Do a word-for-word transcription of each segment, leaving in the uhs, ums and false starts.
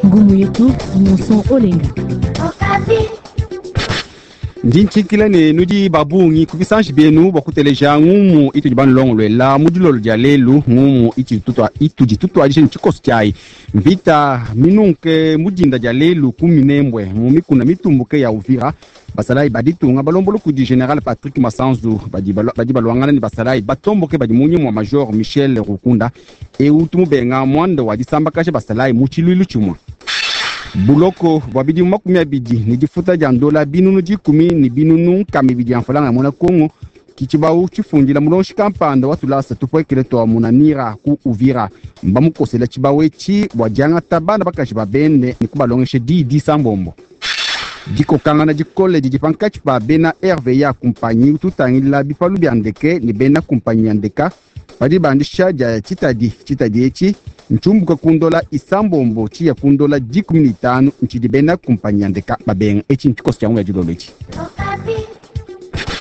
Ngumu yetu Innocent Olenga. Ndi ntshinkila ne nudi babungi ku bisanji bienu bua kuteleja ngumu itudi banulongoluela mu dilolo dia lelu. Ngumu itudi tutuadija ne tshikoso tshiayi mvita minunke mu dinda dia lelu ku Minembwe mu mikuna mitumbuke ya Uvira. Basalayi ba ditunga balombola kudi General Patrick Masanzu badi badi baluangana ne basalayi batomboke badi mu nyima wa Major Michel Rukunda eu tumubenga muanda wa disambakaja basalayi mu tshiluilu tshimue. Buloko bua bidimu makumi abidi ne difuta dia ndola binunu dikumi ne binunu nkama ibidi ya mfalanga ya muena Kongo kitshibau tshifundila mulonshi kampanda wa tulasa tupuekele twa munanira ku Uvira. Mbamukosela tshibau etshi bua diangata bana bakaji ba bende ne kubalongesha diyi disambombo. Dikokangana dikole didi pankatshi pa bena R V A kumpanyi tutangila bipalu bia ndeke ne bena kumpanyi ya ndeka badi bandisha dia tshitadi. Tshitadi etshi ntshiumbuka ku ndola isambombo tshiya ku ndola dikumi ne itanu ntshidi bena kumpanyi ya ndeka babenga. Etshi ntshikoso tshia ngumu ya dilolo etshi.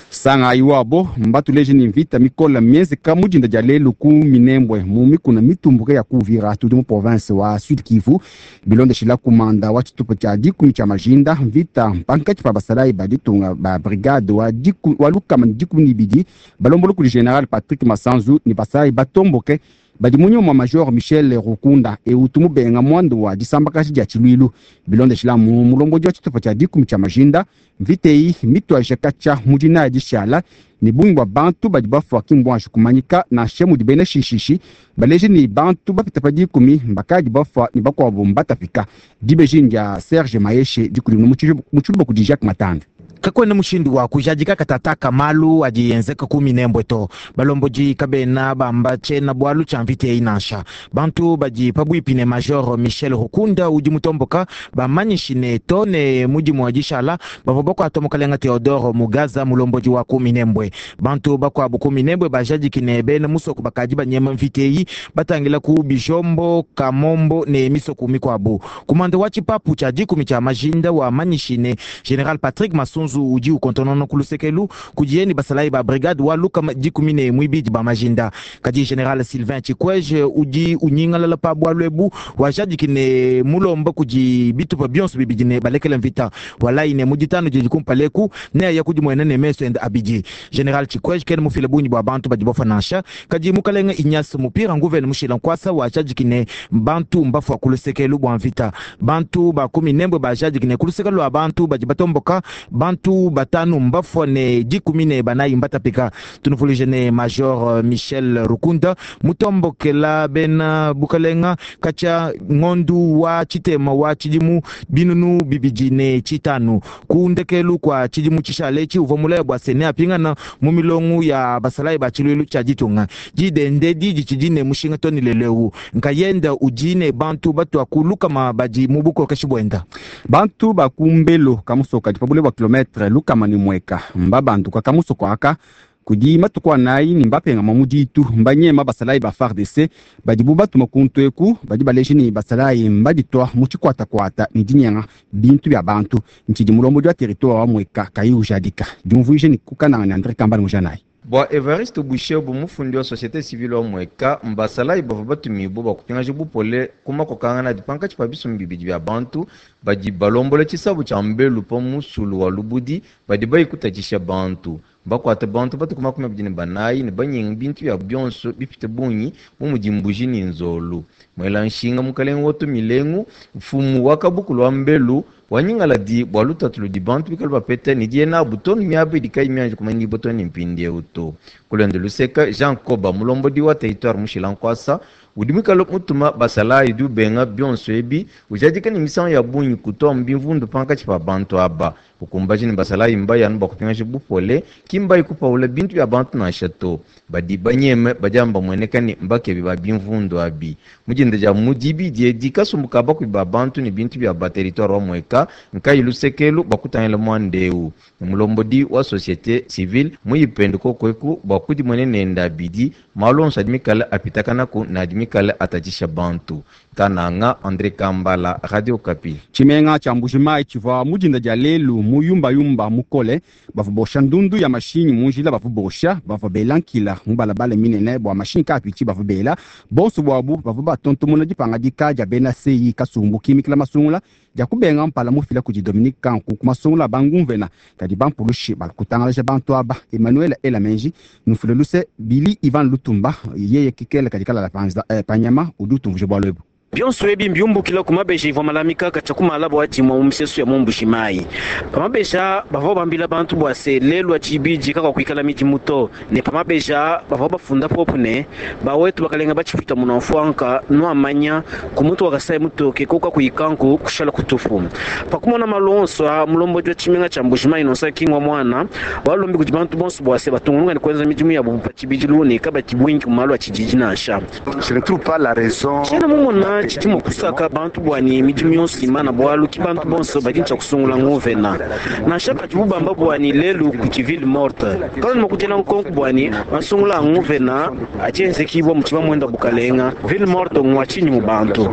Sanga iwabo mbatuleje ni mvita mikola mienzeka mu dinda dia lelu ku Minembwe mu mikuna mitumbuke ya Kuvira tudi mu province wa Sud Kivu. Bilondeshila kumanda wa tshitupa tshia dikumi tshia majinda mvita pankatshi pa basalayi ba ditunga ba brigade wa diku, wa lukama ne dikumi ne ibidi balombola kudi General Patrick Masanzu ne basalayi batomboke badi mu nyuma Major Michel Rukunda eu tumubenga muanda wa disambakaji dia tshiluilu. Bilondeshila mu mulombodi wa tshitupa tshia dikumi tshia majinda mvita eyi mituaje katshia mu dinaya dishala ne bungi bua bantu badi bafua ki mbuanji kumanyika nansha mudi bena shishishi baleje ne bantu bapita pa dikumi mbakadi bafua ne bakuabu mbatapika. Dibeji dia Serge Mayeshe dikudi mu tshiluba kudi Jacques Matanda. Kakwena mushindu wa kujadika katataka malu adi yenzeka ku Minembwe to. Balomboji kabena bamba tshena bwalu tshia mvita eyi nansha. Bantu badi pabuipi ne Major Michel Rukunda udi mutomboka bamanyishi ne to ne mudimu wa dishala bavua bakuata mukalenga Theodore Mugaza mulomboji wa ku Minembwe. Bantu bakuabu ku Minembwe bajadiki ne bena musoko bakadi banyema mvita eyi batangila ku Bijombo, Kamombo ne misoko mikuabu. Kumanda wa tshipapu tshia dikumi tshia majinda wa manyishi ne General Patrick Masunzu udi ukontonona ku lusekelu kudiye ni basalayi ba brigade wa lukama dikumi ne muibidi ba majinda. Kadi General Sylvain Chikweje udi unyingalala pa bwalu ebu wajadiki ne mulomba kudi bitupa bionso bibidi ne balekele mvita walayi ne muditano didi kumpaleku ne aya kudi mwene ne meso ende abidi. General Chikweje kene mufile bungi bwa bantu badi bafa nansha. Kadi mukalenga Ignace Mupira nguvene mushila nkwasa wajadiki ne bantu mbafua ku lusekelu bwa mvita. Bantu ba kumi nembwe bajadiki ne ku lusekelu lwa bantu badi batomboka bantu batanu mbafua ne dikumi ne banayi mbatapika. Tunuvuluje ne Major Michel Rukunda mutombokela bena bukalenga katshia ngondu wa tshitema wa tshidimu binunu bibidi ne tshitanu ku ndekelu kwa tshidimu tshishale etshi uvua mulaya bua sene apingana mu milongo ya basalayi ba tshiluilu tshia ditunga. Didende didi tshidi ne mushinga toni leleu nkayenda udi ne bantu batua ku lukama badi mu bukokeshi buenda. Bantu ba ku Mbelo kamusoka di pa bule bua kilometre lukama ne mweka mbabanduka kamusoko aka kudi matuku anayi ne mbapengama mu ditu mbanyema basalayi ba F A R D C badibu batuma kuntu eku badi baleje ne basalayi mbaditua mu tshikwatakwata ne dinyenga bintu bia bantu. Ntshidi mulombodi wa territoire wa Mweka kayi ujadika diumvuije ne kukananga ne André Kambale mujanayi. Bwa Evariste Bushebu mufundi wa société civile wa Mweka mbasalayi bavua batumibue bua kupingaja bupole ku makokangana adi pankatshi pa bisumbu bibidi bia bantu badi balombola tshisabu tshia Mbelu pa musulu wa Lubudi badi bayikutatshisha bantu. Bakuate bantu batuku makumi abidi ne banayi ne banyenga bintu bia bionso bipite bungi bu mudi mbuji ne nzolu. Mwela nshinga mukalenga woto milengu mfumu wa kabukulu wa Mbelu wanyingaladi bua lutatu ludi bantu bikale bapeta ne diye nabu tonu miaba idi kayi mianji kumanyibua tonu ne mpindieu to. Kulonda luseka Jean Koba mulombodi wa territoire mushila nkwasa udi muikale mutuma basalayi udi ubenga bionso ebi ujadika ne misangu ya bungi kutoa mbimvundu pankatshi pa bantu aba. Ukumbaji ne basalayi mbayi anu bua kupingaja bupole ki mbayi kupaula bintu bia bantu nansha to. Badi banyeme badi amba mueneka ne mbakebi ba bimvundu abi. Mudinda dia mudibi diedi kasumbu ka bakubi ba bantu ne bintu bia ba territoire wa Mweka nkayi lusekelu bua kutangila muandeu. Mulombodi wa société civile muyipende kokweku bua kudimone nenda abidi malu onso adi mikale apitakanaku ne adi mikale atatshisha bantu. Kananga André Kambala, Radio Okapi. Tshimenga tshia Mbujimayi tshivua mudinda dia lelu Mu yumbayumba mukole bavua bosha ndundu ya mashinyi mu njila, bavua bosha, bavua bela nkila mu balabala minene bua mashinyi kaapitshi, bavua bela bonso buabu bavua batontomona dipangadika dia bena C I kasumbu kimikila masungula dia kubenga mpala mufila kudi Dominique Kanku ku masungula bangumvena kadi bampulushi balukutangalaja bantu aba. Emmanuel Elamenji nufule luse Billy Ivan Lutumba yeye kikele kadi kalala panza eh, panyama udi utumvuje bwalu ebu. Bionso ebi mbiumbukila ku mabeji ivua malamika katshia ku malabo adimua mu misesu ya mu Mbujimayi. Pa mabeja bavua bambila bantu bua se lelu atshibidi kakakuikala midimu to, ne pa mabeja bavua bafunda popu ne bawetu bakalenga batshipita munamfuanka nuamanya ku mutu wakasai mutoke koka kuikanku kushala kutupu. Pakumona malu onso a mulombodi wa tshimenga tshia Mbujimayi nonsa kingwa mwana walombi kudi bantu bonso bua se batungulunga ne kuenza midimu yabo pa tshibidilu ne kabati bwingi ku malu a tshididi nansha. Je ne trouve pas la raison. Tshiena mumona tshidi kusaka bantu bwani midimu yonso imana bwalu ki bantu bonso badi ntshia kusungula nguvena nansha padi bubamba bwani lelu ku ville morte kala ni makutela nkonko bwani masungula nguvena atshienzekibwa mu tshiba mwenda bukalenga ville morte ngwa tshinyi mu bantu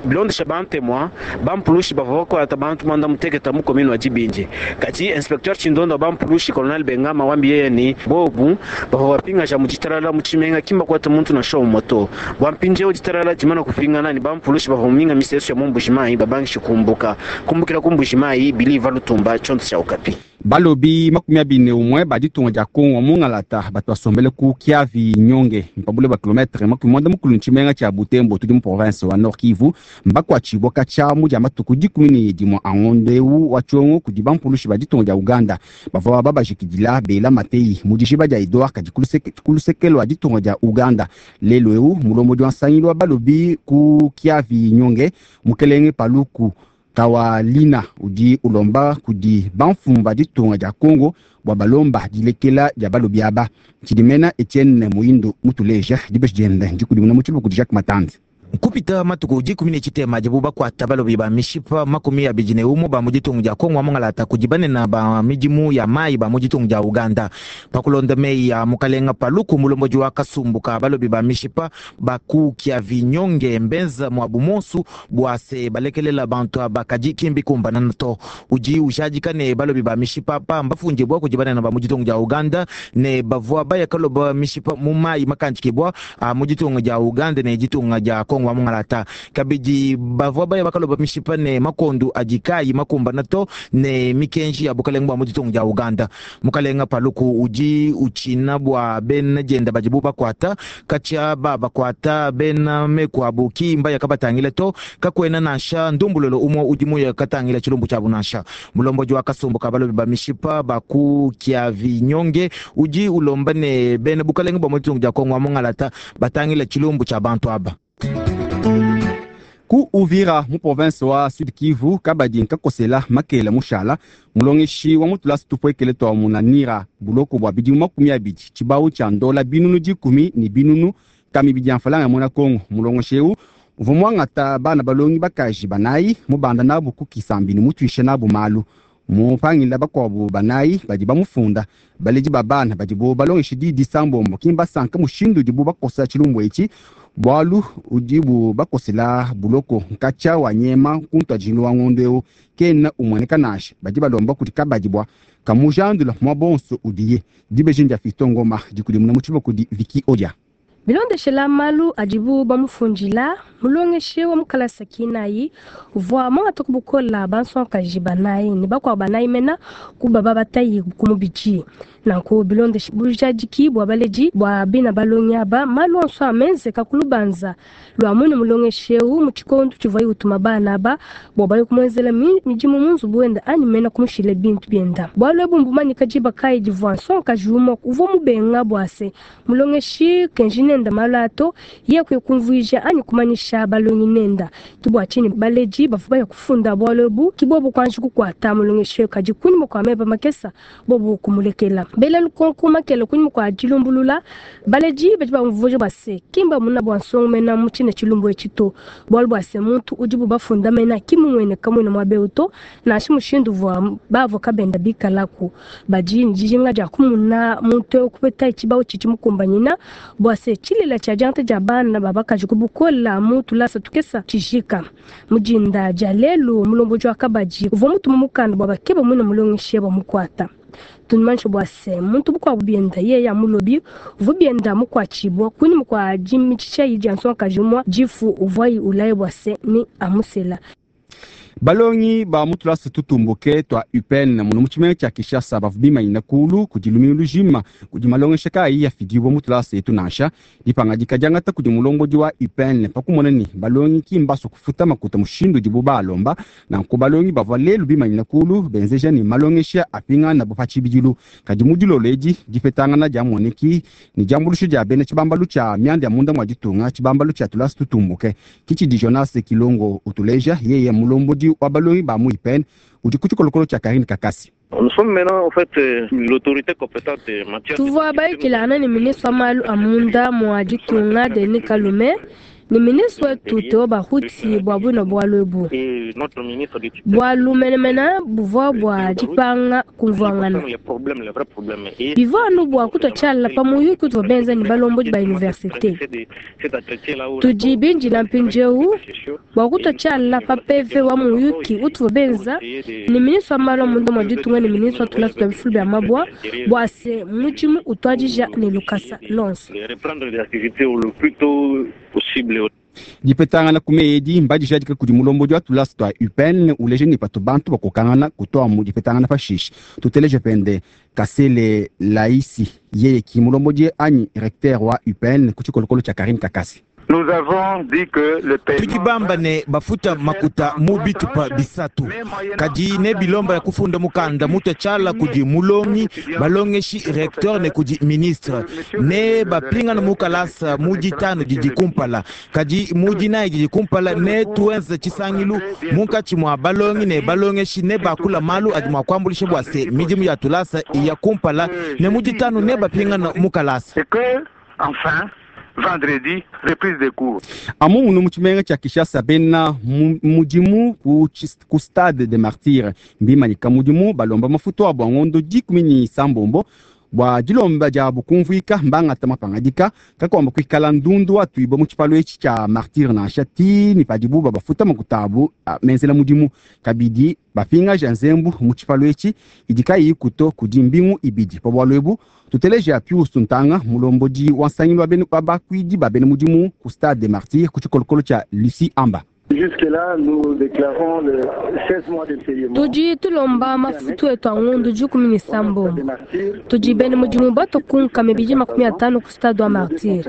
bilondesha bantemwa bampulushi bavua bakwata bantu mwanda muteketa mu commune wa Dibindi kati inspecteur Tshindondo bampulushi colonel Bengama wambi yeye ni bobu bavua bapingaja mu ditalala mu tshimenga kimba kwata muntu na show moto bwampinje ditalala dimana kupingana ni bampulushi bavua muminga misesu ya mu Mbujimayi babangishe kumbuka kumbukira ku Mbujimayi Billy Lutumba tshionso tshia Okapi. Balobi makumi abiri ne umwe ba ditunga dia Kongo mungalata bato basombele ku Kiavi Nyonge mpabule ba kilometre makumi mwanda mukulu ntshimenga tshia Butembo tudi mu province wa Nord Kivu mbakwatshibwa katshiamu dia matuku dikumi ne dimue a ngonde wa tshiongo kudi bampulushi ba ditunga dia Uganda bavua babajikidila bela mateyi mu dijiba dia Edouard kadi ku luseke lua ditunga dia Uganda. Lelu eu mulombodi wa nsangilu wa balobi ku Kiavi Nyonge mukelenge Paluku Kawalina udi ulomba kudi bamfumu ba ditunga dia Kongo bua balomba dilekela dia balobi aba. Tshidimena Etienne Muindo mutuleja dibeji diende ndikudimuna mu tshiluba kudi Jacques Matandi. Kupita matuku dikumi ne tshitema dibu bakwata balobi ba mishipa makumi abidi ne umue ba mu ditunga dia Kongo amongalata kudi banene ba midimu ya mayi ba mu ditunga dia Uganda. Pakulonda meyi ya mukalenga Paluku mulombodi wa kasumbu ka balobi ba mishipa baku Kiavi Nyonge mbenza mwabu monsu bua se balekelela bantu aba kadi kimbi kumbana to. Udi ujadika ne balobi ba mishipa pa mbafunje bua kudi banene ba mu ditunga dia Uganda ne bavua baya kaloba mishipa mu mayi makandikibwa a mu ditunga dia Uganda ne ditunga dia Kongo wa mungalata. Kabidi bavua baya bakaloba mishipa ne makondu adikayi makumbana to ne mikenji ya bukalenga bwa mu ditunga dia Uganda. Mukalenga Paluku udi utshina bua bena dienda badibu bakwata katshia ba bakwata bena meku abu kimba yakabatangila to kakwena nansha ndumbulolo umwe udi muya katangila tshilumbu tshiabu nansha. Mulombodi wa kasumbu ka balobi ba mishipa baku Kiavi Nyonge udi ulomba ne bena bukalenga bwa mu ditunga dia Kongo wa mungalata batangila tshilumbu tshia bantu aba. Ku Uvira mu province wa Sud Kivu kabadi nkakosela makela mushala mulongeshi wa mutulasi tupwekele twa munanira buloko bwa bidimu makumi abidi tshibawu tshia ndola binunu dikumi ne binunu kami bidi mfalanga mona Kongo. Mulongeshi eu uvua muangata bana balongi bakaji banayi mubanda nabu ku kisambi ne mutuishe nabu malu mupangila bakuabu banayi badi bamufunda. Baledi ba bana badibo balongeshi didi sambombo kimba sanka mushindu udibu bakosa tshilumbu etshi bwalu udibu bakosela buloko nkatsha wa nyema kuntu wa ngondo eu kena umueneka nasha badi balomba kudi kabadi bwa kamujandula mwa bonso udiye dibeji ndia Fiston Ngoma dikudimuna mu tshiluba kudi Vicky Odia. Bilondeshela malu adibu bamufundila mulongeshi wa mukalasa kinayi uvua mwangata kubukola bansonkaji banayi ne bakuabu banayi mena kubaba batayi ku mubidi. Nanku bilondeshe bujadiki bua baledi bua bina balongi aba malu onso amenzeka ku lubanza lua mwene mulongeshi eu mu tshikondo tshivuaye utuma bana aba bua baye kumuenzela midimu mu nzubu wenda anyi mena kumushila bintu bienda. Bualu ebu mbumanyika diba kayi divua nsonkaji umue uvua mubenga bua se mulongeshi kenji nenda malu ato ye kwe kumvuija anyi kumanyisha balongi nenda. Tubua tshini baledi bavua baya kufunda bualu ebu kibobu kwanji kukwata mulongeshi kadi kunyima kua meba makesa bobu kumulekela. Bela lukonko makele kunyima kua dilumbulula baledi badi bamvuja bua se kimba muna bua nsongo mena mu tshine tshilumbu etshi to, bualu bua se muntu udibu bafunda mena kimumuene kamuena muabe to, nansha mushindu uvua bavoka benda bikalaku badi ne dijinga dia kumuna muntu eu kupeta tshibawu tshidi mukumbanyina bua se tshilela tshia diangata dia bana babakaji ku bukola mu tulasa tukesa tshijika. Mujinda dia lelu mulombodi wa kabadi uvua mutuma mukanda bua bakeba muina mulongeshi bamukuata. Tunumanishe bua se muntu bukuabu bienda yeye ya mulobi uvua bienda mukuatshibua kunyima kua dimitisha idi ya nsongakaji umue difu uvuayi ulaye bua se ni amusela. Balongi ba mu tulasa tutumbuke twa U P N muno mu tshimenga tshia Kinshasa bavua bimanyina kulu kudi lumingu lujima kudi malongesha kayi yafidibua mu tulasa etu nansha. Dipangadika diangata kudi mulombodi wa U P N pa kumona ne balongi ki mbaso kufuta makuta mushindu udibu balomba. Nanku balongi bavua lelu bimanyina kulu benzeja ne malongesha apingana bo pa tshibidilu. Kadi mu dilolo edi dipetangana dia moneki ne diambuluisho dia bena tshibambalu tshia mianda ya munda mua ditunga, tshibambalu tshia tulasa tutumbuke. Kitshidi Jonas Kilongo utuleja yeye mulombodi wa balongi ba mu U P N udi ku tshikolokolo tshia Karine Kakasi. Nous sommes maintenant en fait l'autorité compétente en matière. Tuvua bayikilana ne ministre wa malu a munda mua ditunga Denis Kalume ne ministre wetu Theo Bahuti bua buina bualu ebu. Bualu menemene buvua bua dipanga kumvuangana. Bivua anu bua kutua tshiala pa muyuki utuvua benza ne balombodi ba universite. Tudi bindila mpindieu bua kutua tshiala pa P V wa muyuki utuvua benza ne ministre wa malu a munda mua ditunga ne ministre wa tulasa tua bifulu bia mabua bua se mudimu utuadija ne lukasa lonso. Dipetangana ku meyi mbadijadika kudi mulombodi wa tulasa tua U P N uleje ne patu bantu bakokangana kutoa mu dipetangana pashishe. Tuteleje pende Kasele Laisi yeye ki mulombodi anyi recteur wa U P N ku tshikolokolo tshia Karine Kakasi. Nous avons dit que le paiement Tukibamba ne bafuta makuta mu bitupa bisatu kadi ne bilomba ya kufunda mukanda mutu tshala kudi mulongi balongeshi recteur ne kudi ministre ne bapinga na mukalasa mudi tano didi kumpala kadi mudi nayi didi kumpala ne tuenze tshisangilu munkatshi mua balongi ne balongeshi ne bakula malu adi mua kuambulisha bua se midimu ya tulasa ya kumpala ne mudi tano ne bapinga na mukalasa. Et que, enfin, vendredi, reprise des cours. Amu munu mu tshimenga tshia Kinshasa bena mudimu ku, ku stade de Martyrs mbimanyika mudimu balomba mafuta abo ngondo dikumi ni sambombo bua dilomba dia bukumvuika mbangata mapangadika kakwamba kuikala ndundu atuibwa mu tshipalo etshi tshia Martyrs nansha ti ni padibu babafuta makuta abu menzela mudimu kabidi bapingaja nzembu mu tshipalo etshi idi kayi kuto kudi mbingu ibidi pa bualu ebu. Tuteleja Pius Ntanga mulombodi wa nsangilu wa bena bakuidi ba bena mudimu ku stade de Martyrs ku tshikolokolo tshia Lucie Amba. Jusque-là, nous déclarons le seize mois de paiement. Tudi tulomba mafutu etu a ngondu dikumi ni sambombo. Tudi bene mudimu batokunka mibidi makumi atano ku stade wa Martyrs.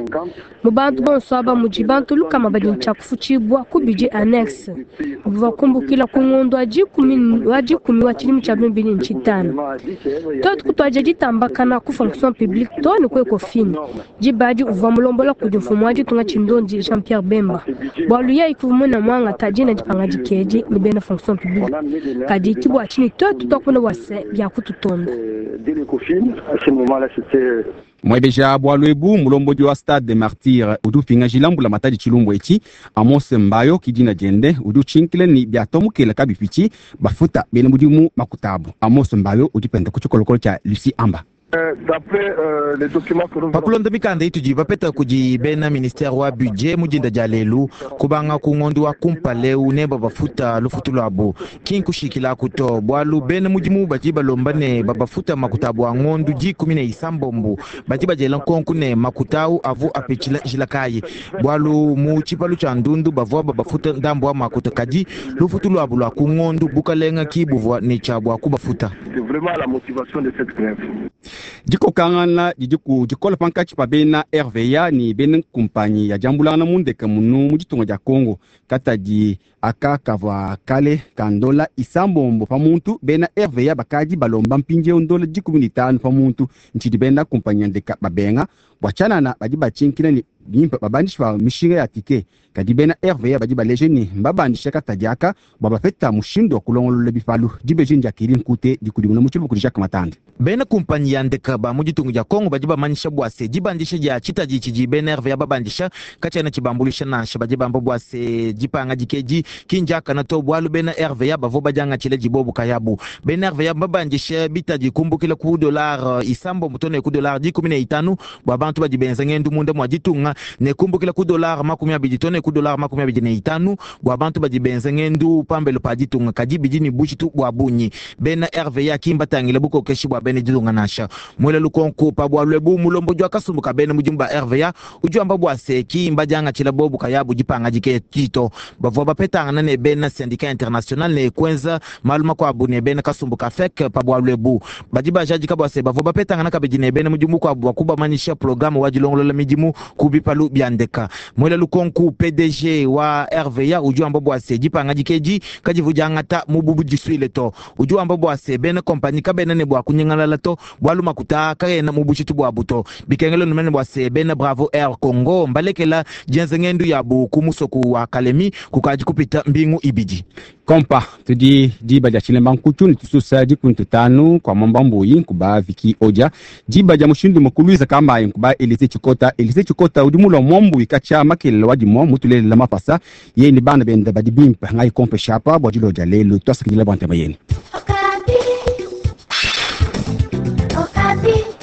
Mu bantu bonso aba mudi bantu lukama badi ntshia kufutshibua ku bidi annexe. Bavua kumbukila ku ngondu wa dikumi wa dikumi wa tshilimi tshia bibili ne tshitanu. Tuetu kutuadija ditambakana ku fonction publique to ne ku Ecofin. Dibadi uvua mulombola kudi mfumu wa ditunga tshindondi Jean-Pierre Bemba. Bualu yeye kuvua muna mwanga tajina dipangadika edi ne bena fonction publique. Kadi kibua tshini tuetu tuakuna bua se bia kututonda. Mwebeja bualu ebu mulombodi wa stade de Martyrs udi upingajila mbula matadi tshilumbu etshi Amos Mbayo kidina diende udi utshinkile ni biatomukela kabipitshi bafuta bena mudimu makutabu. Amos Mbayo udi penda ku tshikolokolo tshia Lucie Amba. Pakulonda mikanda itudi bapeta kudi bena ministère wa budget mudinda dia lelu kubanga ku ngondo wa kumpaleu ne babafuta lufutu lwabo kinkushikila kuto bualu bena mudimu badi balomba ne babafuta makuta bua ngondo dikumi ne isambombo badi badiela nkonku ne makutau avu apetshila njila kayi bualu mu tshipalu tshia ndundu bavua babafuta ndambu wa makuta kadi lufutu lwabo lwa ku ngondo bukalenga kibuvua ne tshia bua kubafuta. Dikokangana didi ku dikola pankatshi pa bena R V A ni bena kumpanyi ya diambulangana mundeke munu mu ditunga dia Congo katadi aka kavua kale kandola isambombo pa muntu bena R V A bakadi balomba mpindieu ndola dikumi ne itanu pa muntu ntshidi bena kumpanyi ya ndeka babenga Bua tshianana badi batshinkila ne bimpe babandishi ba mishinga ya tike, kadi bena R V A badi baleje ne mbabandisha katadi aka bua bapeta mushindu wa kulongolola bipalu. Dibeji ndia Kili Nkute dikudimuna mu tshiluba kudi Jacques Matande. Bena kumpanyi ya ndeka ba mu ditunga dia Kongo badi bamanyisha bua se dibandisha dia tshitadi tshidi bena R V A babandisha katshiena tshibambuluisha nansha. Badi bamba bua se dipanga dikedi ki ndiakana to, bualu bena R V A bavua badiangatshile dibobu kayabu. Bena R V A babandisha bitadi kumbukila ku dollar isambombo to ne ku dollar dikumi ne itanu bua bantu badi benza ngendu munda mua ditunga, ne kumbukila ku dollar makumi abidi to ne ku dollar makumi abidi ne itanu bua bantu badi benza ngendu pambelo pa ditunga. Kadi bidi ne bujitu bua bungi. Bena R V A ki mbatangile bukokeshi bua bena ditunga nansha. Mwela lukonko pa bualu ebu mulombodi wa kasumbu ka bena mudimu ba R V A udi wamba bua se ki mbadiangatshila bobu kayabu dipanga dike tito. Bavua bapetangana ne bena syndicat international ne kuenza malu makuabu ne bena kasumbu ka F E C pa bualu ebu. Badi bajadika bua se bavua bapetangana kabidi ne bena mudimu kuabu bua kubamanyisha programme wa dilongolola midimu ku bipalu bia ndeka. Mwela lukonko P D G wa R V A udi wamba bua se dipanga dikedi kadivu diangata mu bubudisuile to. Udi wamba bua se bena compagnie kabena ne bua kunyengalala to, bualu makuta kaena mu bujitu bua buto. Bikengelo numene bua se bena Bravo Air Congo mbalekela dienza ngendu yabu ku musoku wa Kalemi kukadi kupita mbingu ibidi. Kompa tudi diba dia tshilemba nkutu ne tususa dikuntu tanu kwa mwamba mbuyi nkuba Viki Odia. Diba dia mushindu mukuluiza kambayi nkuba Elise Chikota. Elise Chikota udi mulwa mwambuyi kacha makelele wa dimwa mutulelela mapasa ye ni bana benda badi bimpe ngai kompe shapa bua dilodia lelu twasakidila bua ntema yenu. Okapi. Okapi.